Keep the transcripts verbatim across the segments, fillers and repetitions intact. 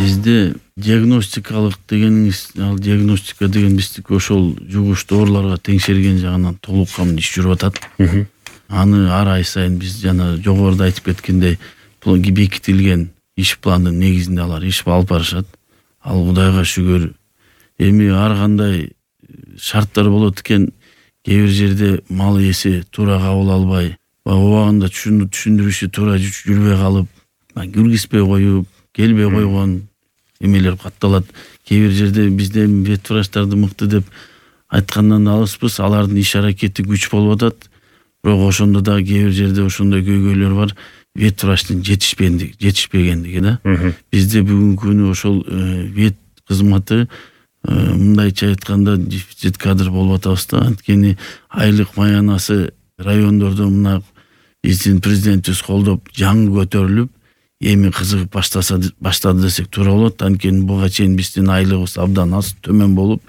Бизде диагностикалык дегениңиз, ал диагностика деген биздики ошол жугуштуу ооруларга теңшерген жагынан толук камдуу иш жүрүп атат. Аны ар ай сайын биз жана жогоруда айтып кеткендей бекитилген иш пландын негизинде алар иш алып барышат. Ал Кудайга шүгүр. Эми ар кандай шарттар болот экен, кээ бир жерде мал ээси туура кабыл албай, убагында түшүндүрүшү туура жүрбөй калып, киргизбей коюп, келбей койгон эмелер катталат. Кээ бир жерде бизде ветврачтарды мыкты деп айткандан алыспыз, алардын иш аракети күч болуп атат. Бирок ошондо да кээ бир жерде ошондой көйгөйлөр бар. Ветврачтын жетишпегендиги, жетишпегендиги да. Бизде бүгүнкү күнү ошол вет кызматы мындайча айтканда дефицит кадр болуп атабыз да. Анткени айлык маянасы райондордо мына биздин президентибиз колдоп жаңы көтөрүлүп, эми кызыгып баштаса баштады десек туура болот. Анткени буга чейин биздин айлыгыбыз абдан аз, төмөн болуп,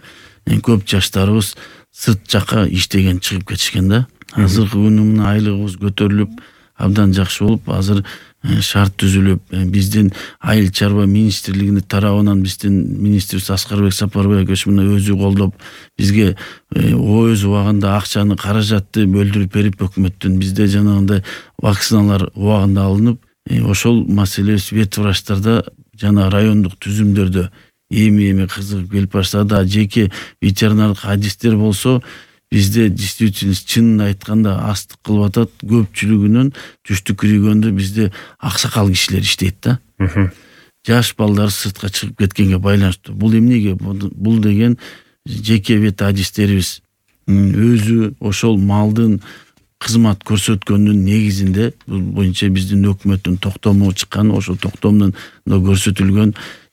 көп жаштарыбыз сырт жакка иштеген чыгып кетишкен да. Азыркы күнү мына айлыгыбыз көтөрүлүп, абдан жакшы болуп, азыр шарт түзүлүп, биздин айыл чарба министрлигинин тарабынан биздин министрибиз Аскарбек Сапарбаевич мына өзү колдоп, бизге өз убагында акчаны, каражатты бөлдүрүп берип, өкмөттүн бизде жанагындай вакциналар убагында алынып, ошол маселебиз ветврачтарда жана райондук түзүмдөрдө эми-эми кызыгып келип баштады. Жеке ветеринардык адистер болсо бизде действительно чынын айтканда астык кылып атат. Көпчүлүгүнүн түштүк региондо бизде аксакал кишилер иштейт да. Жаш балдар сыртка чыгып кеткенге байланыштуу. Бул эмнеге? Бул деген жеке вет адистерибиз өзү ошол малдын кызмат көрсөткөндүн негизинде, бул боюнча биздин өкмөттүн токтому чыккан, ошол токтомдон көрсөтүлгөн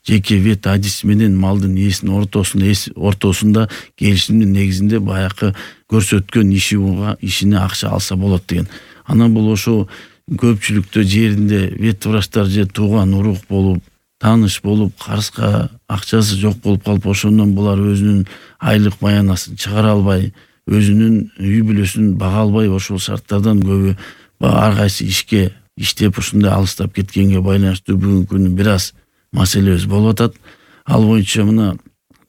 жеке вет адис менен малдын ээсинин ортосунда ортосунда келишимдин негизинде баякы көрсөткөн иши ишине акча алса болот деген. Анан бул ошо көпчүлүктө жеринде ветврачтар же тууган урук болуп, тааныш болуп, карызга акчасы жок болуп калып, ошондон булар өзүнүн айлык маянасын чыгара албай, өзүнүн үй бүлөсүн бага албай, ошол шарттардан көбү ар кайсы ишке иштеп ушундай алыстап кеткенге байланыштуу бүгүнкү күнү бир аз маселебиз болуп атат. Ал боюнча мына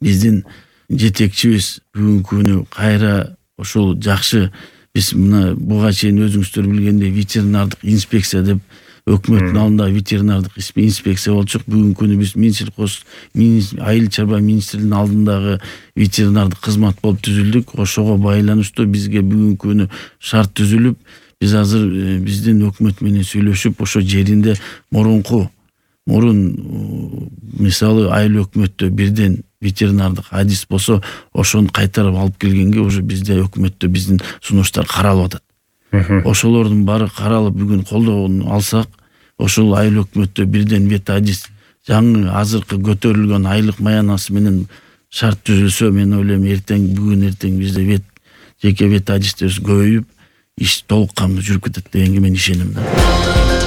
биздин жетекчибиз бүгүнкү күнү кайра ошол жакшы, биз мына буга чейин өзүңүздөр билгендей ветеринардык инспекция деп өкмөттүн алдында ветеринардык инспекция болчук. Бүгүнкү күнү биз Минсельхоз айыл чарба министрлигинин алдындагы ветеринардык кызмат болуп түзүлдүк. Ошого байланыштуу бизге бүгүнкү күнү шарт түзүлүп, биз азыр биздин өкмөт менен сүйлөшүп, ошо жеринде мурунку мурун мисалы айыл өкмөттө бирден ветеринардык адис болсо, ошону кайтарып алып келгенге уже бизде өкмөттө биздин сунуштар каралып атат. Ошолордун баары каралып бүгүн колдоон алсак, ошол айыл өкмөттө бирден вет адис жаңы азыркы көтөрүлгөн айлык маянасы менен шарт түзүлсө, мен ойлойм эртең бүгүн эртең бизде вет жеке вет адистерибиз көбөйүп, иш толук камдуу жүрүп кетет дегенге мен ишенем да.